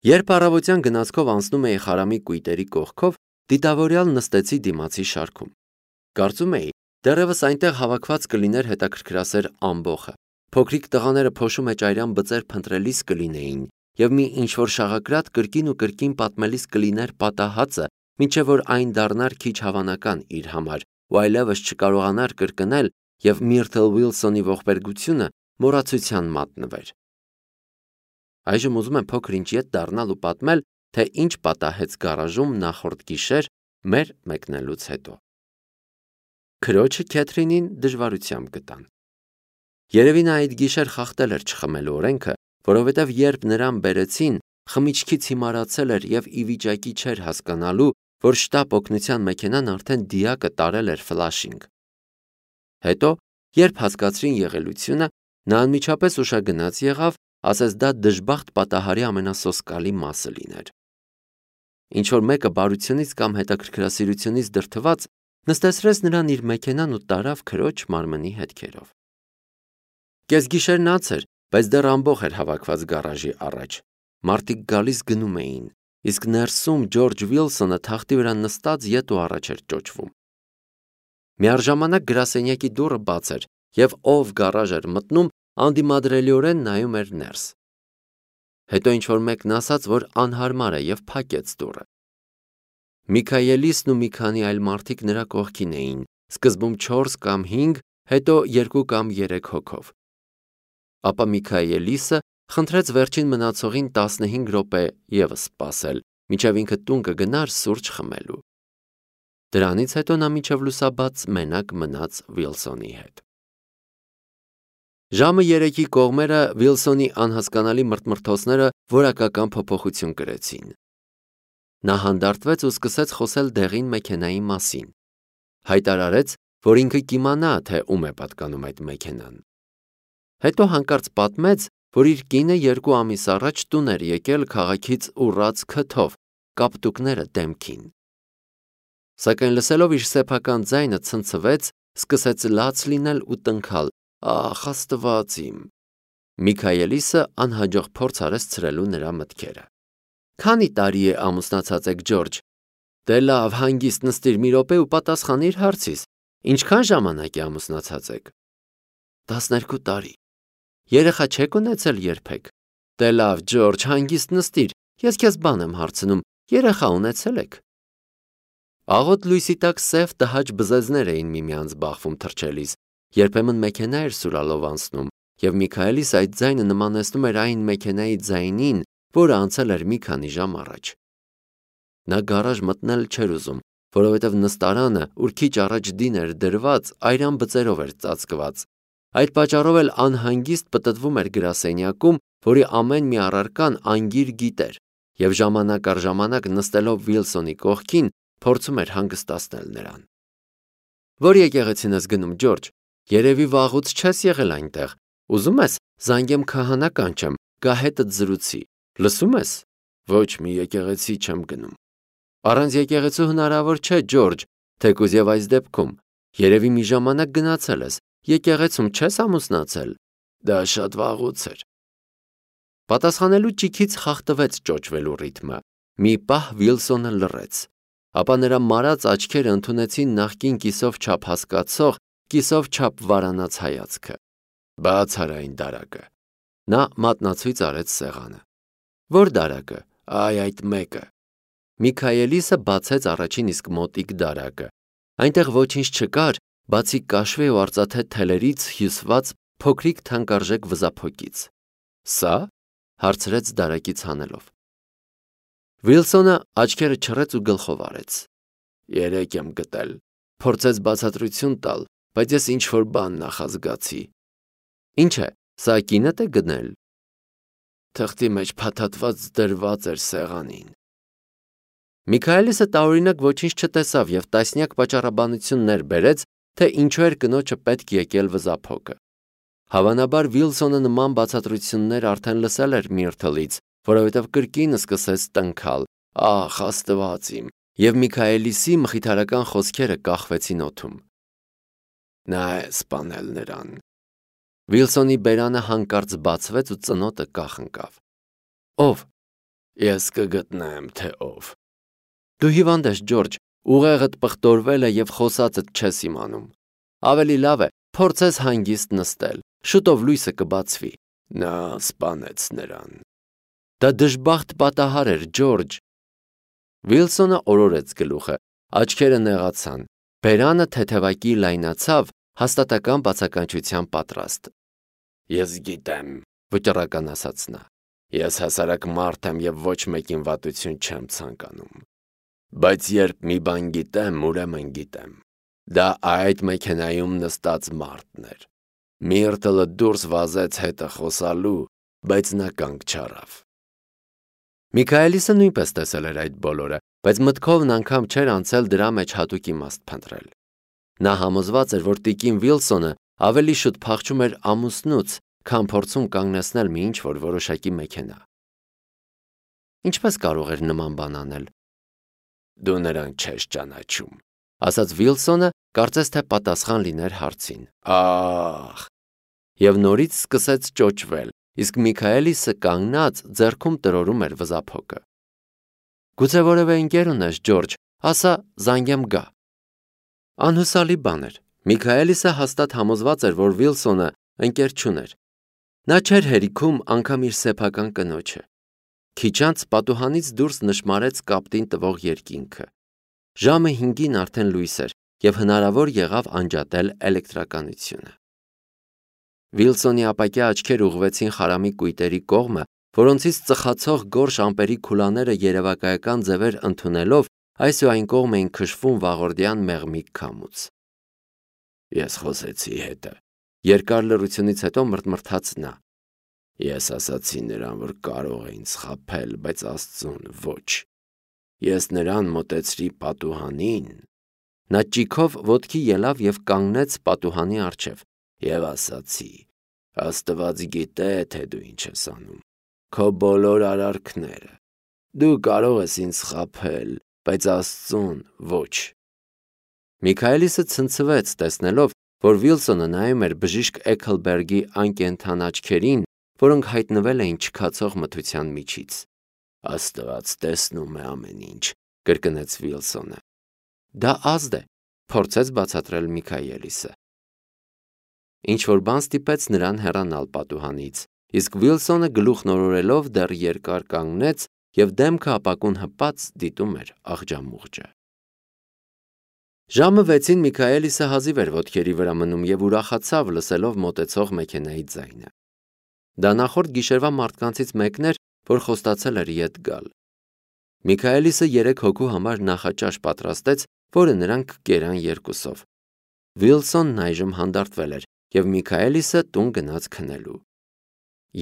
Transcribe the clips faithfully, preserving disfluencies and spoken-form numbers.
Երբ առավոտյան գնացքով անցնում էի խարամի կույտերի կողքով, դիտավորյալ նստեցի դիմացի շարքում։ Կարծում էի, դեռևս այնտեղ հավաքված կլիներ հետաքրքրասեր ամբոխը։ Փոքրիկ տղաները փոշու մեջ այրան բծեր փնտրելիս կլինեին, եւ մի ինչ-որ շաղակրատ կրկին ու կրկին պատմելիս կլիներ պատահածը, մինչև որ այն դառնար քիչ հավանական իր համար, ու այլևս չկարողանար կրկնել եւ Միրթլ Ուիլսոնի ողբերգությունը մոռացության մատնվեր։ Այժմ ուզում եմ փոքր ինչ ետ դառնալ ու պատմել, թե ինչ պատահեց գարաժում նախորդ գիշեր մեր մեկնելուց հետո։ Քրոջը Քեթրինին դժվարությամբ գտան։ Երևի նա այդ գիշեր խախտել էր չխմելու օրենքը, որովհետև երբ նրան բերեցին, խմիչքից հիմարացել էր եւ ի վիճակի չէր հասկանալու, որ շտապ օգնության մեքենան արդեն դիակը տարել էր ֆլաշինգ։ Հետո, երբ հասկացրին եղելությունը, նա անմիջապես ուշագնաց եղավ, ասես դա դժբախտ պատահարի ամենասոսկալի մասը լիներ։ Ինչ-որ մեկը բարությունից կամ հետաքրքրասիրությունից դրդված նստեցրեց նրան իր մեքենան ու տարավ քրոջ մարմնի հետքերով։ Կեսգիշերն անց էր, բայց դեռ ամբոխ էր հավաքված գարաժի առաջ։ Մարդիկ գալիս գնում էին, իսկ ներսում Ջորջ Ուիլսոնը թախտի վրա նստած ետ ու առաջ էր ճոճվում։ Միառժամանակ գրասենյակի դուռը բաց էր, եւ ով գարաժ էր մտնում, անդիմադրելիորեն նայում էր ներս։ Հետո ինչ-որ մեկն ասաց, որ անհարմար է եւ փակեց դուռը։ Միքայելիսն ու մի քանի այլ մարդիկ նրա կողքին էին, սկզբում չորս կամ հինգ, հետո երկու կամ երեք հոգով։ Ապա Միքայելիսը խնդրեց վերջին մնացողին տասնհինգ րոպե եւս սպասել, մինչև ինքը տուն կգնար սուրճ խմելու։ Դրանից հետո նա մինչև լուսաբաց մենակ մնաց Ուիլսոնի հետ։ Ժամը երեքի կողմերը Ուիլսոնի անհասկանալի մրթմրթոցները որակական փոփոխություն կրեցին։ Նա հանդարտվեց ու սկսեց խոսել դեղին մեքենայի մասին։ Հայտարարեց, որ ինքը կիմանա, թե ում է պատկանում այդ մեքենան։ Հետո հանկարծ պատմեց, որ իր կինը երկու ամիս առաջ տուն էր եկել քաղաքից ուռած քթով, կապտուկները դեմքին։ Սակայն լսելով իր սեփական ձայնը ցնցվեց, սկսեց լաց լինել ու տնքալ. «Ախ, Աստված իմ»։ Միքայելիսը անհաջող փորձ արեց ցրելու նրա մտքերը։ «Քանի տարի է ամուսնացած եք, Ջորջ»։ Դե լավ, հանգիստ նստիր մի րոպե ու պատասխանիր հարցիս։ Ինչքան ժամանակ է ամուսնացած եք։ տասներկու տարի։ Երեխա չեք ունեցել երբեք։ Դե լավ, Ջորջ, հանգիստ նստիր, ես քեզ բան եմ հարցնում, երեխա ունեցել եք։ Աղոտ լույսի տակ սև տհաճ բզեզներ էին միմյանց բախվում թռչելիս, երբեմն մեքենա էր սուրալով անցնում, եւ Միքայելիս այդ ձայնը նմանեցնում էր այն մեքենայի ձայնին, որը անցել էր մի քանի ժամ առաջ։ Նա գարաժ մտնել չէր ուզում, որովհետև նստարանը, ուր քիչ առաջ դին էր դրված, այրան բծերով էր ծածկված։ Այդ պատճառով էլ անհանգիստ պտտվում էր գրասենյակում, որի ամեն մի առարկան անգիր գիտեր, եւ ժամանակ առ ժամանակ նստելով Ուիլսոնի կողքին, փորձում էր հանգստացնել նրան։ Որ եկեղեցին ես գնում, Ջորջ, երևի վաղուց չես եղել այնտեղ։ Ուզում ես զանգեմ քահանա կանչեմ, գա հետդ զրուցի։ Լսում ես։ Ոչ, մի եկեղեցի չեմ գնում։ Առանց եկեղեցու հնարավոր չէ, Ջորջ, թեկուզ եւ այս դեպքում։ Երևի մի ժամանակ գնացել ես, եկեղեցում չես ամուսնացել։ Դա շատ վաղուց էր։ Պատասխանելու ճիքից խախտվեց ճոճվելու ռիթմը։ Մի պահ Ուիլսոնը լռեց։ Ապա նրա մարած աչքերը ընդունեցին նախկին կիսով չափ հասկացող, կիսով չափ վարանած հայացքը։ Բաց արա այն դարակը։ Նա մատնացույց արեց սեղանը։ Որ դարակը։ Այ այդ մեկը։ Միքայելիսը բացեց առաջին իսկ մոտիկ դարակը։ Այնտեղ ոչինչ չկար, բացի կաշվե ու արծաթե թելերից հյուսված փոքրիկ թանկարժեք վզափոկից։ Սա։ Հարցրեց դարակից հանելով։ Ուիլսոնը աչքերը չռեց ու գլխով արեց։ Երեք եմ գտել։ Փորձեց բացատրություն տալ, բայց ես ինչ-որ բան նախազգացի։ Ինչ է, սա կինդ է գնել։ Թղթի մեջ փաթաթված դրված էր սեղանին։ Միքայելիսը տարօրինակ ոչինչ չտեսավ եւ տասնյակ պատճառաբանություններ բերեց, թե ինչու էր կնոջը պետք եկել վզափոկը։ Հավանաբար Ուիլսոնը նման բացատրություններ արդեն լսել էր Միրթլից, որովհետև կրկին սկսեց տնքալ. Ախ, Աստված իմ, եւ Միքայելիսի մխիթարական խոսքերը կախվեցին օդում։ Նա է սպանել նրան։ Ուիլսոնի բերանը հանկարծ բացվեց ու ծնոտը կախ ընկավ։ Ով։ Ես կգտնեմ, թե ով։ Դու հիվանդ ես, Ջորջ, ուղեղդ պղտորվել է եւ խոսածդ չես իմանում։ Ավելի լավ է փորձես հանգիստ նստել, շուտով լույսը կբացվի։ Նա սպանեց նրան։ Դա դժբախտ պատահար էր, Ջորջ։ Վիլսոնը օրորեց գլուխը, աչքերը նեղացան, բերանը թեթևակի լայնացավ, հաստատական բացականչության պատրաստ։ Ես գիտեմ, վճռական ասաց նա։ Ես հասարակ մարդ եմ եւ ոչ մեկին վատություն չեմ ցանկանում։ Բայց երբ մի բան գիտեմ, ուրեմն գիտեմ։ Դա այդ մեքենայում նստած մարդն էր։ Միրտլը դուրս վազեց հետը խոսալու, բայց նա կանգ չառավ։ Միքայելիսը նույնպես տեսել էր այդ բոլորը, բայց մտքովն անգամ չէր անցել դրա մեջ հատուկ իմաստ փնտրել։ Նա համոզված էր, որ տիկին Վիլսոնը ավելի շուտ փախչում էր ամուսնուց, քան փորձում կանգնեցնել մի ինչ-որ որոշակի մեքենա։ Ինչպես կարող էր նման բան անել։ Դու նրան չես ճանաչում, ասաց Վիլսոնը, կարծես թե պատասխան լիներ հարցին։ Ահ։ Եվ նորից սկսեց ճոճվել, իսկ Միքայելիսը կանգնած ձեռքում տրորում էր վզափոկը։ Գուցե որևէ ընկեր ունես, Ջորջ, ասա, զանգեմ գա։ Անհուսալի բան էր։ Միքայելիսը հաստատ համոզված էր, որ Վիլսոնը ընկեր չուներ։ Նա չէր հերիքում անգամ իր սեփական կնոջը։ Քիչ անց պատուհանից դուրս նշմարեց կապտին տվող երկինքը։ Ժամը հինգին արդեն լույս էր, եւ հնարավոր եղավ անջատել էլեկտրականությունը։ Վիլսոնի ապակյա աչքերը ուղղվեցին խարամի կույտերի կողմը, որոնցից ծխացող գորշ ամպերի քուլաները երևակայական ձևեր ընդունելով այս ու այն կողմ էին քշվում վաղորդյան մեղմիկ քամուց։ Ես խոսեցի հետը։ Երկար լռությունից հետո մռթմռթաց նա։ Ես ասացի նրան, որ կարող է ինձ խաբել, բայց Աստծուն ոչ։ Ես նրան մոտեցրի պատուհանին։ Նա ճիգով ոտքի ելավ եւ կանգնեց պատուհանի առջև եւ ասացի. Աստված գիտե, թե դու ինչ ես անում։ Քո բոլոր արարքները։ Դու կարող ես ինձ խաբել, բայց Աստծուն ոչ։ Միքայելիսը ցնցվեց, տեսնելով, որ Վիլսոնը նայում էր բժիշկ Էքլբերգի անկենդան աչքերին, որոնք հայտնվել էին չքացող մթության միջից։ Աստված տեսնում է ամեն ինչ, կրկնեց Վիլսոնը։ Դա ազդ է, փորձեց բացատրել Միքայելիսը։ Ինչ-որ բան ստիպեց նրան հեռանալ պատուհանից, իսկ Վիլսոնը գլուխնորորելով դեռ երկար կանգնեց եւ դեմքը ապակուն հպած դիտում էր աղջամուղջը։ Ժամը վեցին Միքայելիսը հազիվ էր ոտքերի վրա մնում եւ ուրախացավ լսելով մոտեցող մեքենայի ձայնը։ Դա նախորդ գիշերվա մարդկանցից մեկն էր, որ խոստացել էր ետ գալ։ Միքայելիսը երեք հոգու համար նախաճաշ պատրաստեց, որը նրանք կերան երկուսով։ Վիլսոնն այժմ հանդարտվել էր եւ Միքայելիսը տուն գնաց քնելու։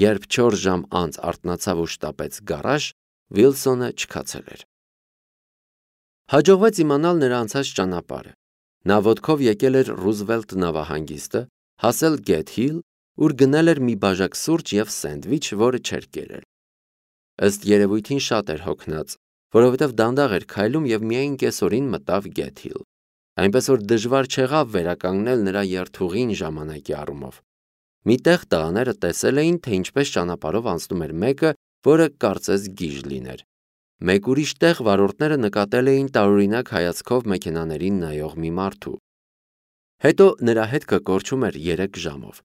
Երբ չորս ժամ անց արթնացավ ու շտապեց գարաժ, Վիլսոնը չքացել էր։ Հաջողվեց իմանալ նրա անցած ճանապարհը։ Նա ոտքով եկել էր Ռուզվելտ նավահանգիստը, հասել Գեթհիլ, ուր գնել էր մի բաժակ սուրճ եւ սենդվիչ, որը չէր կերել։ Ըստ երևույթին շատ էր հոգնած, որովհետև դանդաղ էր քայլում եւ միայն կեսօրին մտավ Գեթհիլ։ Այնպես որ դժվար չեղավ վերականգնել նրա երթուղին ժամանակի առումով։ Միտեղ տղաները տեսել էին, թե ինչպես ճանապարհով անցնում էր մեկը, որը կարծես գիժ լիներ։ Մեկ ուրիշ տեղ վարորդները նկատել էին տարօրինակ հայացքով մեքենաներին նայող մի մարդու։ Հետո նրա հետքը կորչում էր երեք ժամով։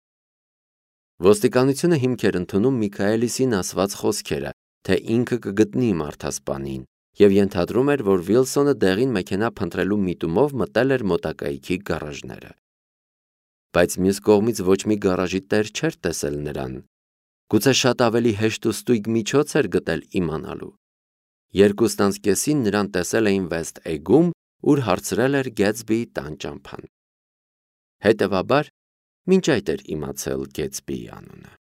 Ոստիկանությունը հիմք էր ընդունում Միքայելիսին ասված խոսքերը, թե ինքը կգտնի մարդասպանին, եւ ենթադրում էր, որ Վիլսոնը դեղին մեքենա փնտրելու միտումով մտել էր մոտակայքի գարաժները։ Բայց մյուս կողմից ոչ մի գարաժի տեր չէր տեսել նրան։ Գուցե շատ ավելի հեշտ ու ստույգ միջոց էր գտել իմանալու։ Երկուստ անց կեսին նրան տեսել էին Վեստ Էգում, ուր հարցրել էր Գեթսբիի տան ճամփան։ Հետևաբար, մինչ այդ էր իմացել Գեթսբիի անունը։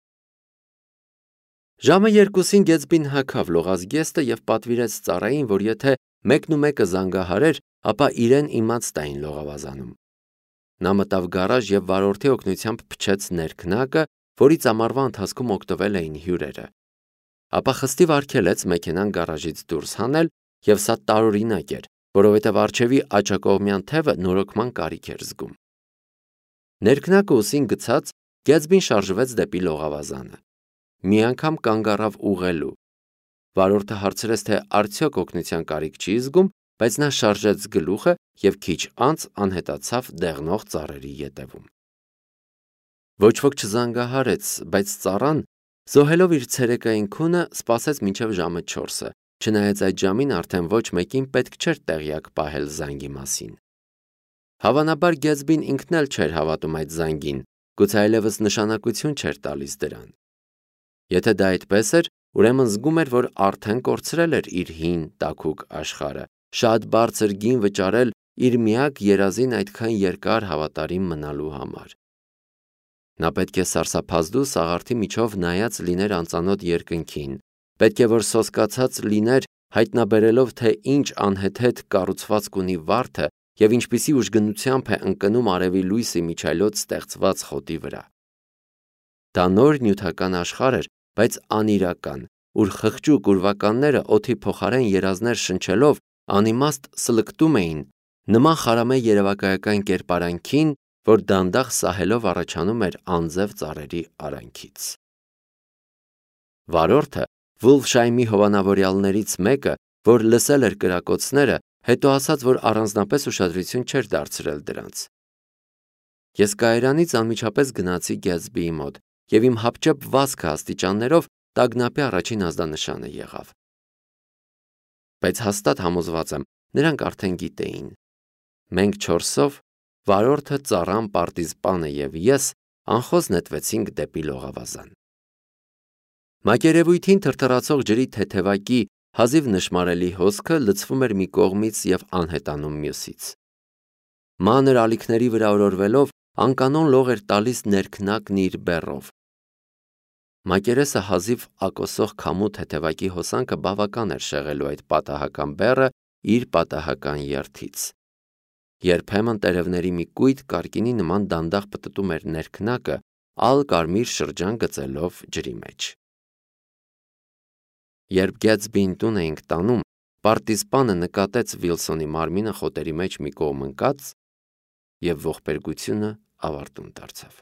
Ժամը երկուսին Գեթսբին հագավ լողազգեստը եւ պատվիրեց ծառային, որ եթե մեկն ու մեկը զանգահարեր, ապա իրեն իմաց տային լողավազանում։ Նա մտավ գարաժ եւ վարորդի օգնությամբ փչեց ներքնակը, որից ամառվա ընթացքում օգտվել էին հյուրերը։ Ապա խստիվ արգելեց մեքենան գարաժից դուրս հանել, եւ սա տարօրինակ էր, որովհետեւ առջևի աջակողմյան թևը նորոգման կարիք էր զգում։ Ներքնակը ուսին գցած, Գեթսբին շարժվեց դեպի լողավազանը։ Մի անգամ կանգ առավ ուղղելու։ Վարորդը հարցրեց, թե արդյոք օգնության կարիք չի զգում, բայց նա շարժեց գլուխը և քիչ անց անհետացավ դեղնող ծառերի ետևում։ Ոչ ոք չզանգահարեց, բայց ծառան, զոհելով իր ցերեկային քունը, սպասեց մինչև ժամը չորսը, չնայած այդ ժամին արդեն ոչ մեկին պետք չէր տեղյակ պահել զանգի մասին։ Հավանաբար Գեթսբին ինքն էլ չէր հավատում այդ զանգին, գուցե այլևս նշանակություն չէր տալիս դրան։ Եթե դա այդպես էր, ուրեմն զգում էր, որ արդեն կորցրել էր իր հին տաքուկ աշխարհը, շատ բարձր գին վճարել իր միակ երազին այդքան երկար հավատարիմ մնալու համար։ Նա պետք է սարսափազդու սաղարթի միջով նայած լիներ անծանոթ երկնքին, պետք է որ սոսկացած լիներ հայտնաբերելով, թե ինչ անհեթեթ կառուցվածք ունի վարդը և ինչպիսի ուժգնությամբ է ընկնում արևի լույսի միջայլոց ստեղծված խոտի վրա։ Դա նոր նյութական աշխարհ էր, բայց անիրական, ուր խղճուկ ուրվականները օդի փոխարեն երազներ շնչելով անիմաստ սլկտում էին, նման խարամե երևակայական կերպարանքին, որ դանդաղ սահելով առաջանում էր անձև ծառերի արանքից։ Վարորդը, Վուլֆշայմի հովանավորյալներից մեկը, որ լսել էր կրակոցները, հետո ասաց, որ առանձնապես ուշադրություն չէր դարձրել դրանց։ Ես կայարանից անմիջապես գնացի Գեթսբիի մոտ, և իմ հապճեպ վազքը աստիճաններով տագնապի առաջին ազդանշանը եղավ։ Բայց հաստատ համոզված եմ, նրանք արդեն գիտեին։ Մենք չորսով, վարորդը, ծառան, պարտիզպանը և ես անխոզ նետվեցինք դեպի լողավազան։ Մակերևույթին թրթռացող ջրի թեթևակի հազիվ նշմարելի հոսքը լցվում էր մի կողմից և անհետանում մյուսից։ Մանր ալիքների վրա օրորվելով անկանոն լող էր տալիս ներքնակն իր բեռով։ Մակերեսը հազիվ ակոսող քամու թեթևակի հոսանքը բավական էր շեղելու այդ պատահական բեռը իր պատահական երթից։ Երբեմն տերևների մի կույտ կարկինի նման դանդաղ պտտում էր ներքնակը, ալ-կարմիր շրջան գծելով ջրի մեջ։ Երբ Գեթսբիին տուն էինք տանում, պարտիզպանը նկատեց Վիլսոնի մարմինը խոտերի մեջ մի կողմ ընկած, և ողբերգությունը ավարտուն դարձավ։